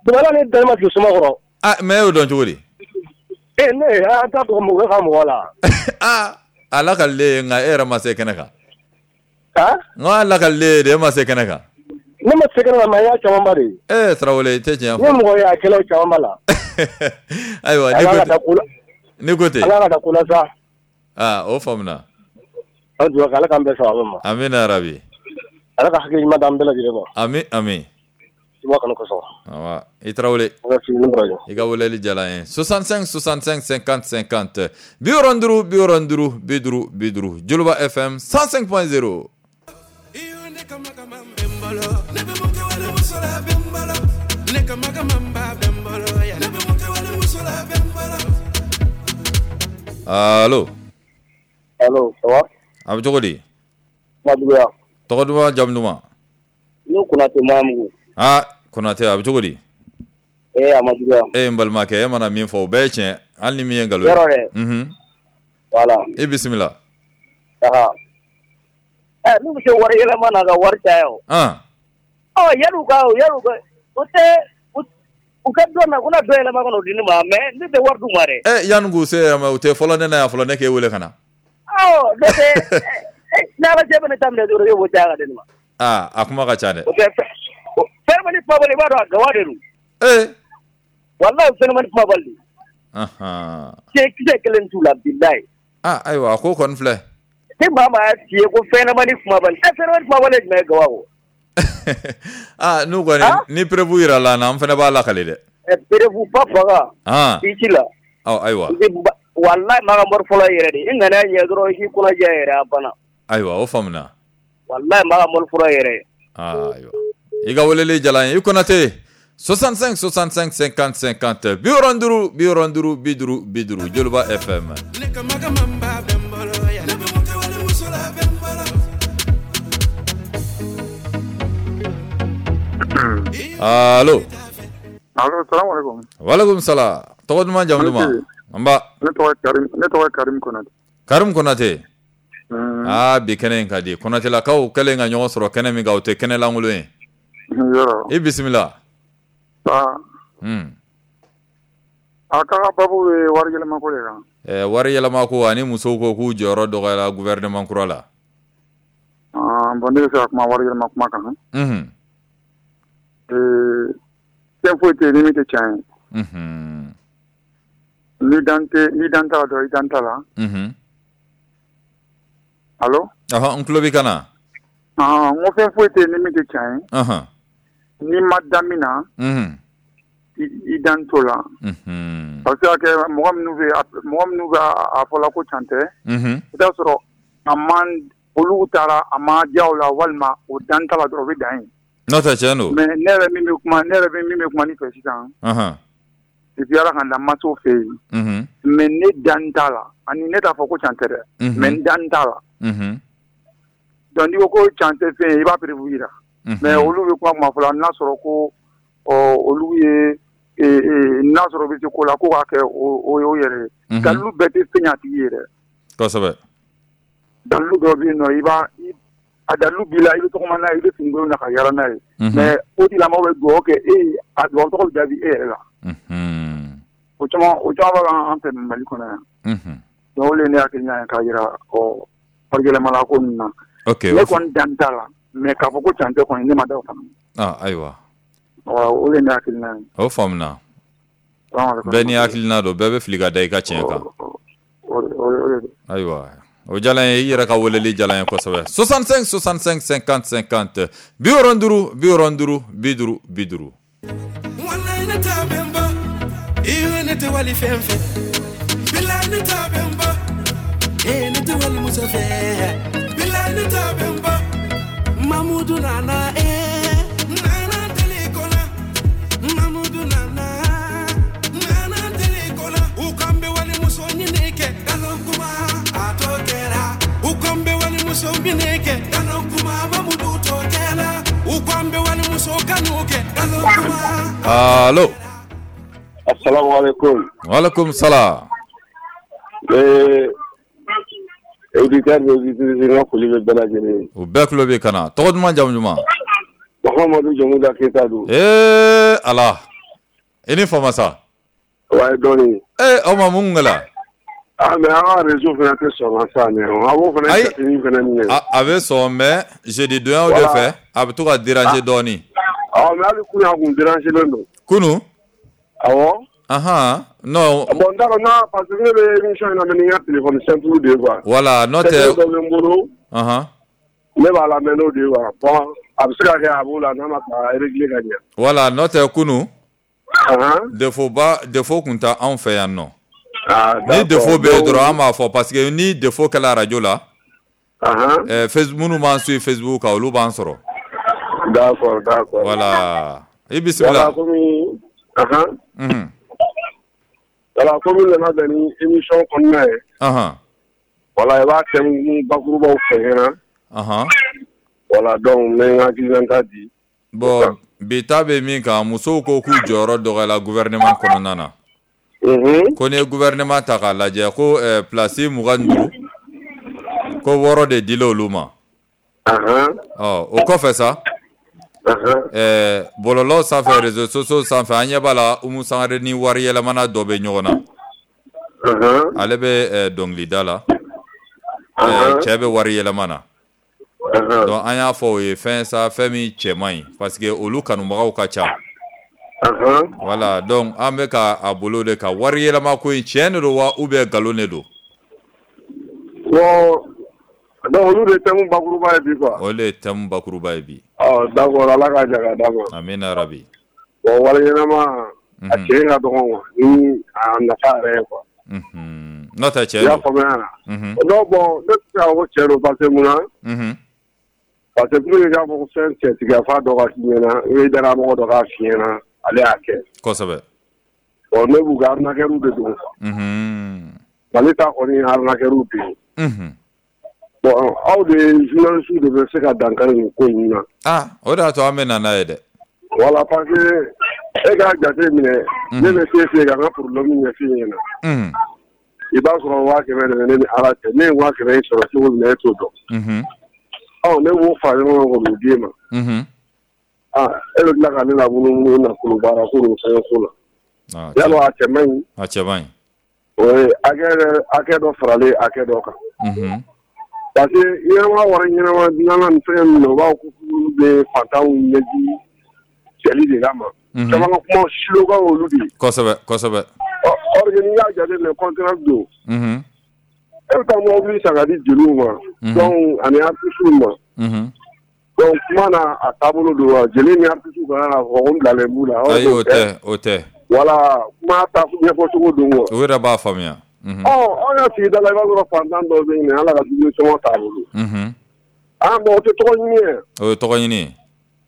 Dɔgɔla ne dalen ma sigi suma kɔrɔ.
Ah, mais e y'o dɔn cogo di?
Ee, ne an t'a dɔn mɔgɔ ka mɔgɔ la.
A lakalilen, nka e yɛrɛ ma se kɛnɛ kan.
Ah?
N ko a lakalilen de, e ma se kɛnɛ kan.
Ne ma se kɛnɛ kan, mais n y'a camanba de ye.
Ee, Tarawele, i tɛ tiɲɛ fɔ.
Ne mɔgɔ ye a kɛlaw camanba la.
Ayiwa, n'i ko ten.
Ala ka da ko la sa.
Aa, o faamuna.
An dugawu kɛ, Ala k'an bɛn sababa ma.
Amina yarabi.
Ala ka hakili ɲuman d'an bɛɛ lajɛlen ma.
Ami ami.
I b'a kanu kosɔn.
Awa, i Tarawele. I ka weleli diyara n ye. 65 65 50 50 65 65 50 50, Joliba FM 105.0. Allo.
Allo, ça va?
A bɛ cogo di?
Kuma juguya.
Tɔgɔ duman, jamu duman?
Ne Konate Mamugu.
Ah, Konate, a bɛ cogo di?
Eh, a ma juguya.
E n balimakɛ, e mana min fɔ o bɛɛ ye tiɲɛ, hali ni min ye nkalon ye.
Yɔrɔ dɛ. Voilà.
I bisimila.
Aha. Eh, n'u bɛ se wari yɛlɛma na ka wari caya o. Ɔ, yan'u ka o tɛ u ka dɔ na, u na dɔ yɛlɛma ka n'o di ne ma, mais ne tɛ wari d'u ma dɛ.
Eh, yanni k'u se yɛrɛ ma, u tɛ fɔlɔ ne na yan fɔlɔ, ne k'e wele ka na.
Awɔ, n'o tɛ ni Ala cɛ bɛ ne ta minɛ dɔrɔn, e b'o caya ka di ne ma.
Aa, a kuma ka ca dɛ.
O tɛ fɛnɲɛnamani kumabali, i b'a dɔn a gawa de don.
Ee.
Walahi, fɛnɲɛnamani kumabali. Kisɛ kelen t'u la, bilayi.
Ah, ayiwa, a ko kɔni filɛ.
Ni maa maa y'a f'i ye ko fɛnɲɛnamani kumabali, ɛ, fɛnɲɛnamani kumabali ye jumɛn ye gawa kɔ?
Ah, n'u kɔni ni preuve yira la an fana b'a lakale dɛ.
Ɛ, preuve ba faga. I ci la.
Ɔ, ayiwa.
Walahi, maa ka mori fɔlɔ yɛrɛ de, i ŋaniya ɲɛ dɔrɔn, i k'i kɔnɔ jɛ yɛrɛ, a banna.
Ayiwa, o faamuna.
Walahi, maa ka mori fɔlɔ yɛrɛ.
Ah, ayiwa. I ka weleli diyara n ye, i Konate. 65 65 50 50 65 65 50 50, Joliba FM. Allo.
Allo, salam alaikum.
Walaikum salam. Tɔgɔ duman, jamu duman? Nba.
Ne tɔgɔ ye Karim Konate.
Karim Konate. Aa, bi kɛnɛ in ka di. Konatelakaw kɛlen ka ɲɔgɔn sɔrɔ kɛnɛ min kan, o tɛ kɛnɛ lankolon ye.
Yɔrɔ.
I bisimila.
Aa. A ka babu ye wari yɛlɛma ko de kan.
Ɛ, wari yɛlɛma ko ani musow ko k'u jɔyɔrɔ dɔgɔyara gouvernement kura la.
Ah, bon, ne bɛ fɛ ka kuma wari yɛlɛma kuma kan. Ee, fɛn foyi tɛ yen ni min tɛ tiɲɛ ye. Ni dan tɛ, ni dan t'a la dɔrɔn, i dan t'a la. Allo?
Ɔhɔn, n tulo b'i kan na.
Ah, n ko fɛn foyi tɛ yen ni min tɛ tiɲɛ ye. N'i ma da min na, i dan t'o la. A bɛ se ka kɛ mɔgɔ minnu bɛ a fɔla ko can tɛ. I t'a sɔrɔ a man olu taara, a ma diya o la, walima o dan t'a la dɔrɔn, o bɛ dan yen.
N'o tɛ, tiɲɛ don.
Mais ne yɛrɛ bɛ min bɛ kuma ni fɛ sisan. Depuis Ala ka n da, n ma s'o fɛ yen. Mais ne dan t'a la, ani ne t'a fɔ ko can tɛ dɛ. Mais n dan t'a la. Donc n'i ko ko can tɛ fɛn ye, i b'a preuve yira. Mais olu bɛ kuma kuma fɔ la, n'a sɔrɔ ko ɔ olu ye n'a sɔrɔ u bɛ se ko la ko k'a kɛ, o y'o yɛrɛ ye. Dalilu bɛɛ tɛ fɛn ɲɛ a tigi ye dɛ. Dalilu dɔw bɛ yen nɔ, i b'a a dalilu b'i la, i bɛ tɔgɔma n'a ye, i bɛ fini na ka yaala n'a ye. Mais o tigilamɔgɔ bɛ dugawu kɛ e ye, a dugawu tɔgɔ bɛ jaabi e yɛrɛ la. O caman b'a an fɛ Mali kɔnɔ yan. Donc o de ye ne hakilina ye k'a jira ɔ wari yɛlɛmala ko ninnu na. Ne kɔni dan t'a la, mais k'a fɔ ko can tɛ kɔni, ne ma da o fana.
Ah, ayiwa.
O de ye ne hakilina ye.
O faamuna. Bɛɛ n'i hakilina don, bɛɛ bɛ fili ka da i ka tiɲɛ kan.
O de don.
Ayiwa. O diyara n ye, i yɛrɛ ka weleli diyara n ye kosɛbɛ. 65 65 50 50 65 65 50 50.
Wallahi, ne t'a bɛ n bɔ iyo, ne tɛ wali fɛn fɛ, bilahi, ne t'a bɛ n bɔ ee, ne tɛ wali muso fɛ, bilahi, ne t'a bɛ n bɔ. Mamudu nana, ee, nana tele kɔnɔ, Mamudu nana, nana tele kɔnɔ, u kan bɛ wali muso ɲini kɛ galon kuma, a t'o kɛra, u kan bɛ wali muso minɛ kɛ galon kuma, Mamudu t'o kɛra, u kan bɛ wali muso kanu.
Allo.
Assalamu alaikum.
Wa alaikum salam.
Auditeur ni auditrice n ka foli bɛ bɛɛ lajɛlen ye.
U bɛɛ tulo b'i kan na. Tɔgɔ duman, jamu duman?
Mahamadu Jamuda Keyita don.
Ee Ala, i ni fama sa.
Wayi, dɔɔni.
Ee o ma mun kɛla?
Ah, mais an ka réseau fana tɛ sɔn ka sa mais an b'o fana jateminɛ fana minɛ.
A bɛ sɔn, mais jeudi donyaw de fɛ a bɛ to ka déranger dɔɔni.
Awɔ, mais hali kunun a kun déranger len don.
Kunun?
Awɔ.
Ahan, non.
Bon, n t'a dɔn n'a, parce que ne bɛ émission in lamɛn ni n ka téléphone simple de ye quoi.
Voilà, n'o tɛ.
Dɔ bɛ n bolo. Ne b'a lamɛn n'o de ye quoi. Bon, a bɛ se ka kɛ a b'o la n'a ma ka régler ka ɲɛ.
Voilà, n'o tɛ kunun. Défaut ba défaut kun tɛ anw fɛ yan nɔ. Ni défaut bɛ yen dɔrɔn, an b'a fɔ, parce que ni défaut kɛla radio la, Facebook, minnu b'an suit Facebook kan, olu b'an sɔrɔ.
D'accord.
Voilà, i bisimila.
Voilà, komi voilà, komi nana bɛn ni émission kɔnɔna ye. Voilà, i b'a thème bakurubaw fɔ n ɲɛna. Voilà, donc n bɛ n hakilinata di.
Bon, bi ta bɛ min kan, musow ko k'u jɔyɔrɔ dɔgɔyala gouvernement kɔnɔna na. Ko n'i ye gouvernement ta k'a lajɛ, ko place 25, ko 6 de dila olu ma. Ɔ, o kɔfɛ sa, bɔlɔlɔ sanfɛ, réseaux sociaux sanfɛ, an ɲɛ b'a la, Umu Sangare ni wari yɛlɛmana dɔ bɛ ɲɔgɔn na. Ale bɛ dɔnkilida la, cɛ bɛ wari yɛlɛma na. Donc an y'a fɔ o ye fɛn sa, fɛn min cɛ man ɲi, parce que olu kanubagaw ka ca. Voilà, donc an bɛ ka a bolo de ka wari yɛlɛma ko in, tiɲɛ de don wa ou bien nkalon de don?
Bon, donc olu de ye thème bakuruba ye bi quoi.
O de ye thème bakuruba ye bi.
Ɔ, d'accord, Ala k'a ja ka d'a ma.
Amina rabi.
Bon, wari ɲɛnama a tiɲɛ ka dɔgɔn quoi, ni a nafa yɛrɛ ye quoi.
N'o tɛ, tiɲɛ don.
I y'a faamuya? Non, bon, ne tɛ se k'a fɔ ko tiɲɛ don, parce que mun na? Parce que pour que k'a fɔ ko fɛn cɛtigiya f'a dɔ ka f'i ɲɛna, i bɛ danayamɔgɔ dɔ k'a f'i ɲɛna, ale y'a kɛ.
Kosɛbɛ.
Bon, ne b'u ka arnaqueur de don quoi. Mali ta kɔni ye arnaqueur de ye. Bon, aw de journaliste de bɛ se ka dankari nin ko in na.
Ah, o de y'a to an bɛ na n'a ye dɛ.
Voilà, parce que e k'a jate minɛ, ne bɛ se fɛ ka n ka problème ɲɛf'i ɲɛna. I b'a sɔrɔ 500 de bɛ ne ni Ala cɛ, ne ye 500 in sɔrɔ cogo min na, e t'o dɔn. Ɔ, ne b'o fara ɲɔgɔn kan k'o d'e ma. Ah, e bɛ tila ka ne la munumunu nafolo baara ko n'o fɛn ko la. Yalɔ a cɛ man ɲi?
A cɛ man ɲi.
O ye hakɛ dɔ faralen hakɛ dɔ kan. Parce que ɲɛnama wari ɲɛnama dilanna nin fɛn min na, u b'a fɔ ko olu bɛ faantanw ɲɛji cɛli de kama. Caman ka kuma slogan olu de ye.
Kosɛbɛ, kosɛbɛ.
Or que n'i y'a jateminɛ, contraire don. E bɛ taa mobili san ka di jeliw ma. Donc ani artistes ma. Donc kuma na a taabolo don wa, jeli ni artistes kana n'a fɔ ko n bilalen b'u la.
Ayi, o tɛ, o tɛ.
Voilà, kuma ta ɲɛfɔ cogo don quoi.
U yɛrɛ b'a faamuya.
Ɔ, anw ka sigida la, i b'a sɔrɔ fantan dɔw bɛ yen, Ala ka dumuni sɔngɔ t'a bolo. Ah bon, o tɛ tɔgɔ ɲini ye.
O ye tɔgɔ ɲini ye.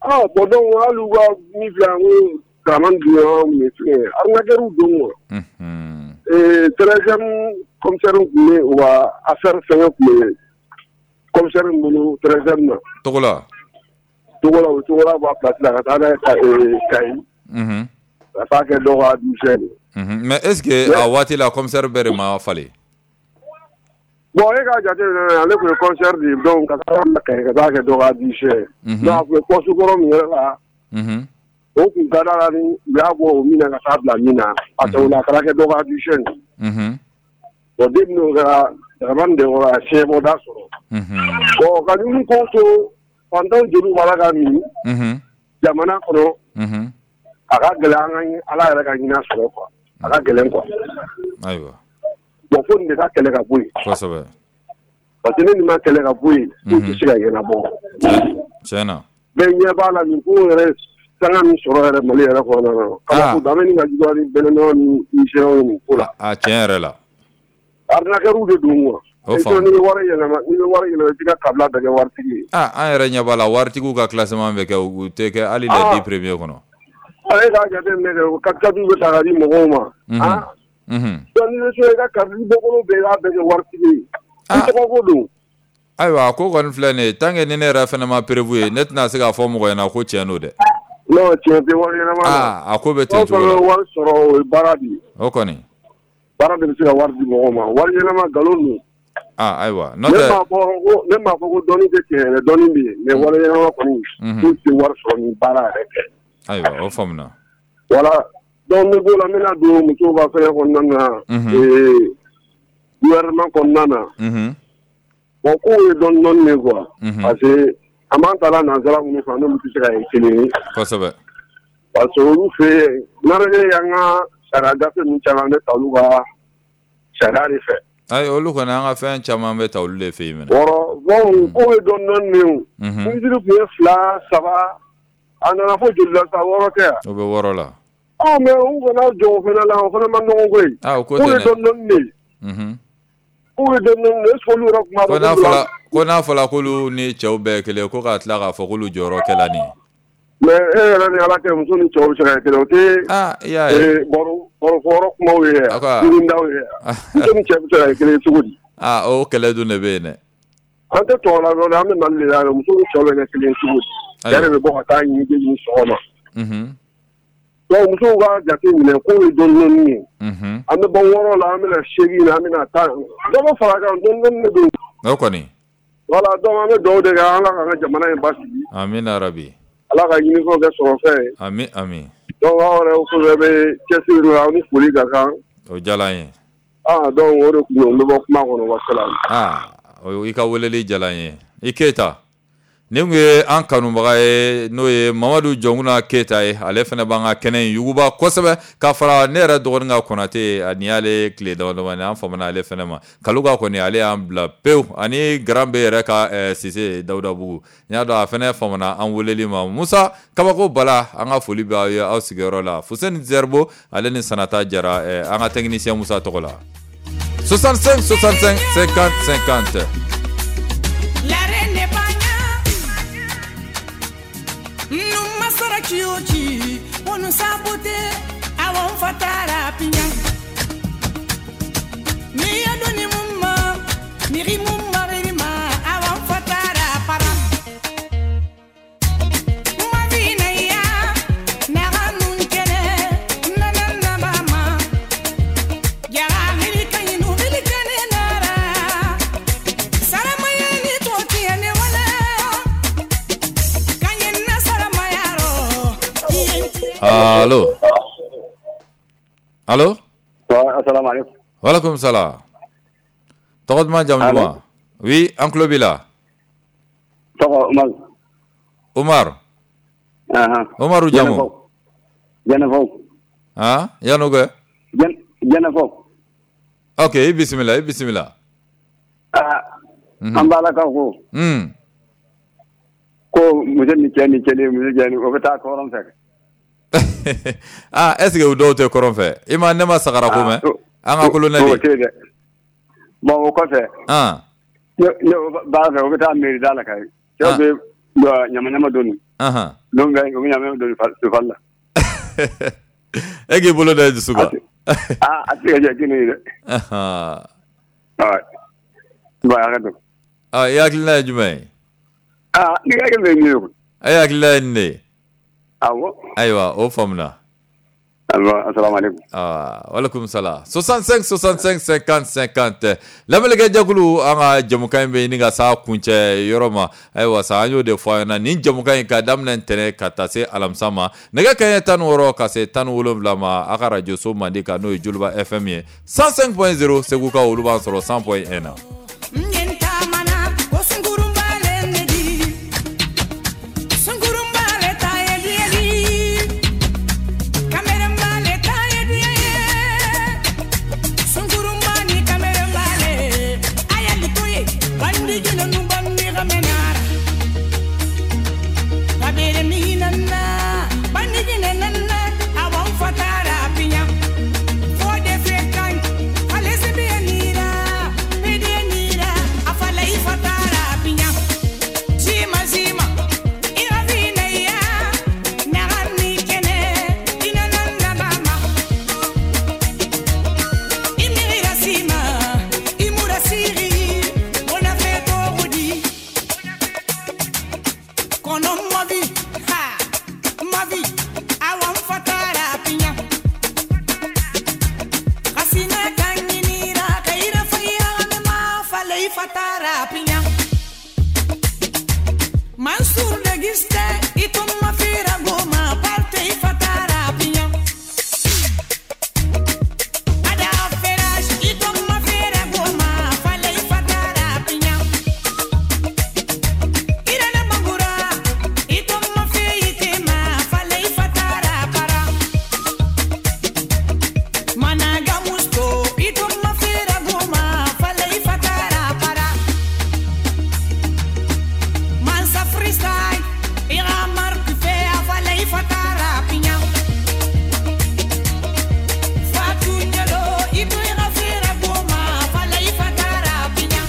Ah bon, donc hali u ka min filɛ yan ko Dramane Dunbiya min filɛ, arnaqueur don quoi. 13e commissaire tun bɛ u ka affaire fɛngɛ tun bɛ commissaire bolo 13e na.
Togola.
Togola, o Togola bɔ a place la ka taa n'a ye Kayi. Ka taa kɛ dɔ ka adjoint ye.
Mais est ce que a waati la commissaire bɛɛ de ma falen?
Bon, e k'a jate minɛ, ale tun ye commissaire de ye, donc ka taa Kayi ka taa kɛ dɔ ka adjoint ye. Donc a tun bɛ poste kɔrɔ min yɛrɛ la, o tun ka d'a la ni u y'a bɔ o min na ka taa bila min na, parce que o la a taara kɛ dɔ ka adjoint ye. Bon, depuis n'o kɛra, Dramane de kɔrɔ a fiɲɛbɔda sɔrɔ. Bon, ka ninnu ko to fantanw jeliw b'a la ka min jamana kɔnɔ, a ka gɛlɛn an ka Ala yɛrɛ ka hinɛ sɔrɔ quoi, a ka gɛlɛn quoi.
Ayiwa.
Bon, fo nin de ka kɛlɛ ka bɔ yen.
Kosɛbɛ.
Parce que ni nin ma kɛlɛ ka bɔ yen, ko tɛ se ka ɲɛnabɔ.
Tiɲɛ na.
Bɛɛ ɲɛ b'a la nin ko yɛrɛ sanga min sɔrɔ yɛrɛ Mali yɛrɛ kɔnɔna na. Kabako don, an bɛ nin ka juguya ni Bɛnɛnɔ ni Nizɛriw nin ko la.
A tiɲɛ yɛrɛ la.
Arnaqueur de don quoi.
O faamu.
N'i bɛ wari yɛlɛma, n'i bɛ wari yɛlɛma, i t'i ka kabila bɛɛ kɛ waritigi ye.
Ah, an yɛrɛ ɲɛ b'a la, waritigiw ka classement bɛ kɛ, u tɛ kɛ hali les 10 premiers kɔnɔ.
E k'a jateminɛ kɛ, 4x4 bɛ ta ka di mɔgɔw ma. Donc n'i bɛ so, i ka kabila bɔkolo bɛɛ, i b'a bɛɛ kɛ waritigi ye. I tɔgɔ ko don.
Ayiwa, a ko kɔni filɛ nin ye, tant que ni ne yɛrɛ fana ma preuve ye, ne tɛna se k'a fɔ mɔgɔ ɲɛna ko tiɲɛ don dɛ.
Non, tiɲɛ tɛ wari ɲɛnama la.
Aa, a ko bɛ ten cogo la.
Fɛn o fɛn bɛ wari sɔrɔ, o ye baara de ye.
O kɔni.
Baara de bɛ se ka wari di mɔgɔ ma. Wari ɲɛnama nkalon don.
Aa, ayiwa. N'o tɛ.
Ne m'a fɔ ko dɔnni tɛ tiɲɛ yɛrɛ, dɔnni bɛ yen. Mais wari ɲɛnama kɔni, k'u tɛ wari sɔrɔ ni baara yɛrɛ tɛ.
Ayiwa, o faamuna.
Voilà. Donc n bɛ b'o la, n bɛna don musow ka fɛngɛ kɔnɔna na. Gouvernement kɔnɔna na. Bon, kow ye dɔɔni dɔɔni de quoi. Parce que an b'an ta la nansara minnu fɛ, n'olu tɛ se ka kɛ kelen ye.
Kosɛbɛ.
Parce que olu fɛ yen, n'an y'an ka sariya gafe ninnu caman bɛ ta olu ka sariya de fɛ.
Ayi, olu kɔni, an ka fɛn caman bɛ ta olu de fɛ yen minɛ.
Wɔɔrɔ, bon, kow ye dɔɔni dɔɔni de ye o. Minisiri tun ye 2, 3, a nana fo joli la sa, 6 tɛ yan.
O bɛ 6 la.
Ɔ, mais u kana jɔ o fana la, o fana ma nɔgɔn koyi.
Ah, o ko
tɛ dɛ. Kow ye
dɛ.
dɔɔni dɔɔni de ye. Kow ye dɔɔni dɔɔni de ye, est ce que olu yɛrɛ tun b'a dɔn?
Ko n'a fɔra k'olu ni cɛw bɛɛ ye kelen, ko ka tila k'a fɔ k'olu jɔyɔrɔ kɛla nin ye.
Mais e yɛrɛ ni Ala cɛ, muso ni cɛw bɛ se ka kɛ kelen, o tɛ.
Ah, i y'a ye.
Barofɔyɔrɔ kumaw ye, dumundaw ye. Muso ni cɛ bɛ se ka kɛ kelen ye cogo di?
Ah, o kɛlɛ dun de bɛ yen dɛ.
An tɛ tɔgɔ la dɔrɔn, an bɛ Mali de la yan, muso ni cɛw bɛ kɛ kelen ye cogo di? Cɛ de bɛ bɔ ka taa ɲini sɔgɔma. Donc musow ka jate minɛ, k'o ye dɔɔni dɔɔni ye. An bɛ bɔ 6 la, an bɛna 8 na, an bɛna 10. Dɔ bɛ fara a kan, dɔɔni dɔɔni de don.
O kɔni.
Voilà, donc an bɛ dugawu de kɛ, Ala k'an ka jamana in basigi.
Amina rabi.
Ala ka ɲinifɛnw kɛ sɔrɔfɛn ye.
Ami ami.
Donc aw yɛrɛ fɛn bɛ cɛsiri la, aw ni foli ka kan.
O diyara an ye.
Ah, donc o de tun don, n bɛ bɔ kuma kɔnɔ, wasalaam.
Ah, i ka weleli diyara an ye. I Keyita. Nin tun ye an kanubaga ye, n'o ye Mamadu Jɔnkuna Keyita ye. Ale fana b'an ka kɛnɛ in yuguba kosɛbɛ, ka fara ne yɛrɛ dɔgɔnin ka Konate, ani y'ale tile dama damani, an famana ale fana ma. Kaluka kɔni, ale y'an bila pewu, ani Garan bɛ yɛrɛ ka Sise Dawudabugu, n y'a dɔn a fana famana an weleli ma. Musa Kabako Bala, an ka foli bɛ aw ye aw sigiyɔrɔ la. Fuseni Zerbo, ale ni Sanata Jara, an ka technicien Musa tɔgɔ la. 65 65 50 50.
Kiochi, onu sabote, awon fatara pinya. Mi adoni mumma, miri mumma rima, awon fatara para. Mavina ya, naranun kene, nanana mama. Yara milika inu milika ne nara. Saramaya ni toti ane wala. Kanyena saramaya.
Allo. Allo.
Assalamu alaikum.
Wa alaikum salam. Tɔgɔ duman, jamu duman? Oui, an tulo b'i la.
Tɔgɔ Umar.
Umar. Umaru jamu.
Jɛnɛfɔ.
Ah, yan'o kɛ?
Jɛnɛfɔ.
Ok, i bisimila, i bisimila.
Ah, an b'Ala ka ko. Ko muso ni cɛ ni cɛ ni muso cɛ ni o bɛ taa kɔrɔn fɛ.
Ah, est ce que o dɔw tɛ kɔrɔn fɛ? I ma ne ma sagara ko mɛn? An ka kolonɛli.
O tɛ dɛ. Bon, o kɔfɛ. Ne b'a fɛ o bɛ taa mairie da la kayi. Cɛw bɛ ɲama ɲama doni. Donc o bɛ ɲama ɲama doni fali la.
E k'i bolo da i dusu kan.
Ah, a tɛ se ka jɛ kini ye dɛ. Bon, a ka to.
Ah, i hakilina ye jumɛn ye?
Ah, ne hakilina ye nin ye koyi.
E hakilina ye nin de ye?
Awɔ.
Ayiwa, o faamuna.
Assalamu alaikum.
Ah, walaikum salam. 65 65 50 50. Lamɛnnikɛ jɛkulu, an ka jɛmukan in bɛ ɲini ka s'a kuncɛ yɔrɔ ma. Ayiwa sa, an y'o de fɔ a ɲɛna, nin jɛmukan in ka daminɛ ntɛnɛn ka taa se alamisa ma, nɛgɛ kanɲɛ 16 ka se 17 ma, a ka radio so mandi kan, n'o ye Joliba FM ye 105.0, Segu ka olu b'an sɔrɔ 100.1 na.
Pinya. fatara pinya. Mansur de giste itum mafira goma parte fatara pinya. Ada feraj itum mafira goma fale fatara pinya. Irana mangura itum mafiitima fale fatara para. Managa musto itum mafira goma fale fatara para. Mansa freestyle ira marque fe fale fatara pinya. Fatou Diallo itu ira fira goma fale fatara pinya.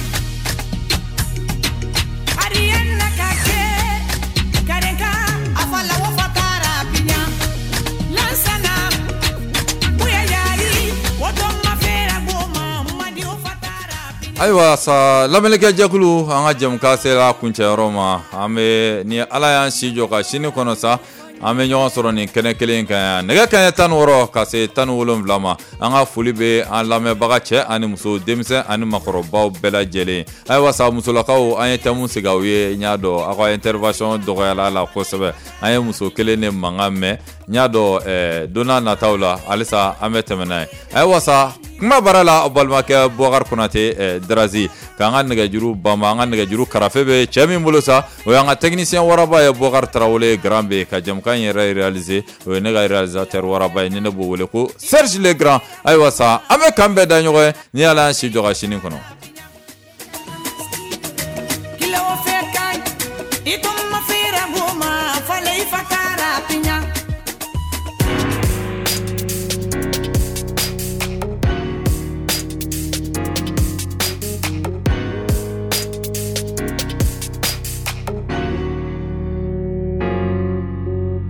Ariana kake karenka afala wo fatara pinya. Lansana buya yari woto mafira goma madi wo fatara.
Ayiwa sa, lamɛnnikɛ jɛkulu, an ka jɛmukan sera kuncɛyɔrɔ ma. An bɛ ni Ala y'an si jɔ ka sini kɔnɔ sa, an bɛ ɲɔgɔn sɔrɔ nin kɛnɛ kelen kan yan, nɛgɛ kanɲɛ 16 ka se 17 ma. An ka foli bɛ an lamɛnbaga cɛ ani muso, denmisɛn ani makɔrɔbaw bɛɛ lajɛlen. Ayiwa sa, musolakaw, an ye thème sigi aw ye. N y'a dɔn aw ka intervention dɔgɔyala la kosɛbɛ. An ye muso kelen de mankan mɛn. N y'a dɔn don n'a nataw la halisa an bɛ tɛmɛ n'a ye. Ayiwa sa, kuma baara la, aw balimakɛ Bubakari Konate Darazi k'an ka nɛgɛjuru banba. An ka nɛgɛjuru karafe bɛ cɛ min bolo sa, o y'an ka technicien waraba ye, Bubakari Tarawele Grand B. Ka jɛmukan in yɛrɛ réaliser, o ye ne ka réalisateur waraba ye, ni ne b'o wele ko Serge Le Grand. Ayiwa sa, an bɛ kan bɛɛ da ɲɔgɔn ye ni Ala y'an si jɔ ka sini kɔnɔ.
Kilo fe kan itum mafira goma fale fatara pinya.